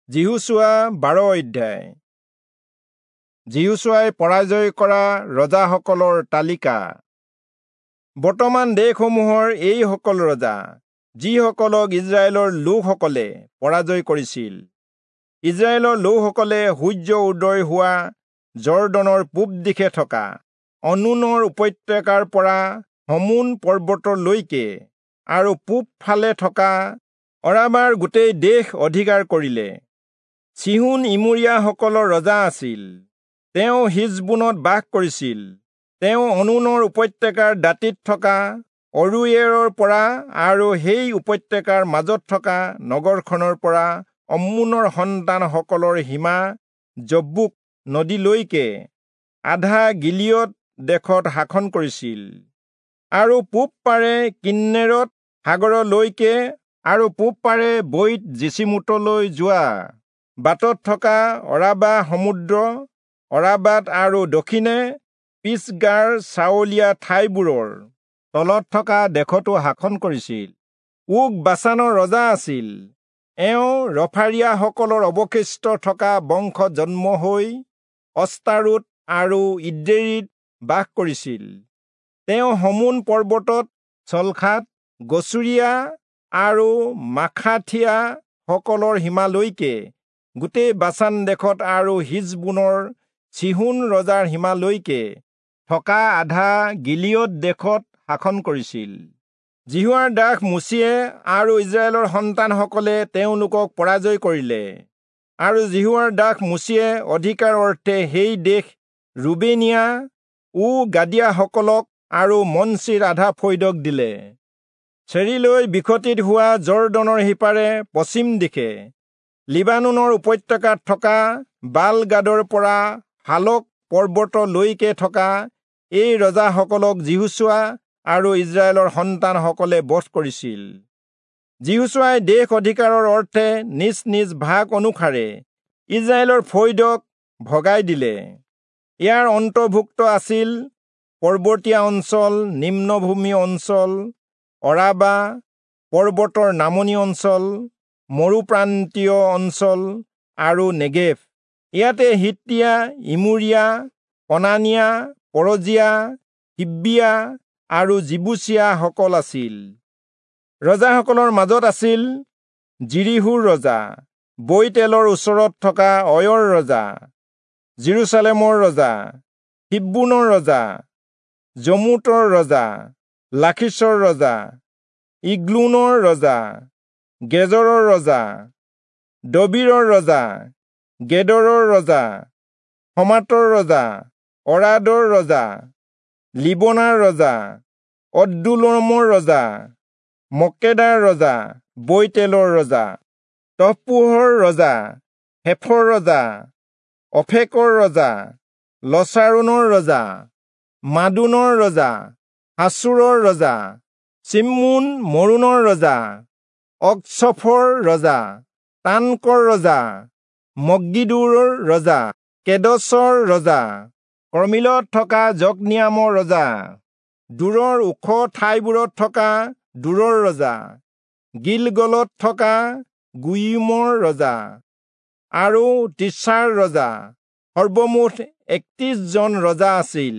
যিহোচূৱা 12 অধ্যায়। যিহোচূৱাই পৰাজয় কৰা ৰজাসকলৰ তালিকা। বৰ্তমান দেশসমূহৰ এইসকল ৰজা, যিসকলক ইস্ৰায়েলৰ লোকসকলে পৰাজয় কৰিছিল। ইস্ৰায়েলৰ লোকসকলে সূৰ্য উদয় হোৱা যৰ্দনৰ পূব দিশে থকা অৰ্ণোনৰ উপত্যকাৰ পৰা হৰ্মোন পৰ্বতলৈকে আৰু পূব ফালে থকা অৰাবাৰ গোটেই দেশ অধিকাৰ কৰিলে। চীহোন ইমোৰীয়াসকলৰ ৰজা আছিল। তেওঁ হিচবোনত বাস কৰিছিল। তেওঁ অৰ্ণোনৰ উপত্যকাৰ দাঁতিত থকা অৰোয়েৰৰ পৰা আৰু সেই উপত্যকাৰ মাজত থকা নগৰখনৰ পৰা অম্মোনৰ সন্তানসকলৰ সীমা যব্বোক নদীলৈকে আধা গিলিয়দ দেশত শাসন কৰিছিল, আৰু পূব পাৰে কিন্নেৰত সাগৰলৈকে আৰু পূব পাৰে বৈৎ যিচীমোতলৈ যোৱা বাটত থকা অৰাবা সমুদ্ৰ অৰাবাত আৰু দক্ষিণে পিচগাৰ চাৱলীয়া ঠাইবোৰৰ তলত থকা দেশতো শাসন কৰিছিল। ওগ বাচানৰ ৰজা আছিল। এওঁ ৰফাৰীয়াসকলৰ অৱশিষ্ট থকা বংশত জন্ম হৈ অস্তাৰোত আৰু ইদ্ৰেয়ীত বাস কৰিছিল। তেওঁ হৰ্মোন পৰ্বতত চলখাত গচুৰীয়া আৰু মাখাথীয়াসকলৰ সীমালৈকে গোটেই বাচান দেশত আৰু হিচবোনৰ চীহোন ৰজাৰ সীমালৈকে থকা আধা গিলিয়দ দেশত শাসন কৰিছিল। যিহোৱাৰ দাস মোচিয়ে আৰু ইস্ৰায়েলৰ সন্তানসকলে তেওঁলোকক পৰাজয় কৰিলে। আৰু যিহোৱাৰ দাস মোচিয়ে অধিকাৰ অৰ্থে সেই দেশ ৰুবেনীয়া ও গাদীয়াসকলক আৰু মনচিৰ আধা ফৈদক দিলে। চেৰিলৈ বিকশিত হোৱা যৰ্দনৰ সিপাৰে পশ্চিম দিশে লিবানোনৰ উপত্যকাত থকা বালগাদৰ পৰা হালক পৰ্বতলৈকে থকা এই ৰজাসকলক যিহোচূৱা আৰু ইস্ৰায়েলৰ সন্তানসকলে বধ কৰিছিল। যিহোচূৱাই দেশ অধিকাৰৰ অৰ্থে নিজ নিজ ভাগ অনুসাৰে ইস্ৰায়েলৰ ফৈদক ভগাই দিলে। ইয়াৰ অন্তৰ্ভুক্ত আছিল পৰ্বতীয়া অঞ্চল, নিম্নভূমি অঞ্চল, অৰাবা পৰ্বতৰ নামনি অঞ্চল, মৰুপ্ৰান্তীয় অঞ্চল আৰু নেগেভ। ইয়াতে হিত্তীয়া, ইমোৰীয়া, কনানীয়া, পৰজীয়া, হিব্বীয়া আৰু যিবূচীয়াসকল আছিল। ৰজাসকলৰ মাজত আছিল যিৰীহোৰ ৰজা, বৈৎএলৰ ওচৰত থকা অয়ৰ ৰজা, যিৰূচালেমৰ ৰজা, হিব্ৰোনৰ ৰজা, যৰ্মূতৰ ৰজা, লাখীচৰ ৰজা, ইগ্লোনৰ ৰজা, গেজৰৰ ৰজা, দবীৰৰ ৰজা, গেদৰৰ ৰজা, হমাতৰ ৰজা, অৰাদৰ ৰজা, লিবনাৰ ৰজা, অদ্দুল্লামৰ ৰজা, মক্কেদাৰ ৰজা, বৈৎএলৰ ৰজা, তপ্পূহৰ ৰজা, হেফৰ ৰজা, অফেকৰ ৰজা, লচাৰোনৰ ৰজা, মাদোনৰ ৰজা, হাচোৰৰ ৰজা, চিম্মোন মৰোনৰ ৰজা, অক্চফৰ ৰজা, তানকৰ ৰজা, মগিদ্দোৰ ৰজা, কেদচৰ ৰজা, কৰ্মিলত থকা যক্নিয়ামৰ ৰজা, দূৰৰ ওখ ঠাইবোৰত থকা দূৰৰ ৰজা, গিলগলত থকা গোয়ীমৰ ৰজা আৰু তিৰ্চাৰ ৰজা। সৰ্বমুঠ 31 জন ৰজা আছিল।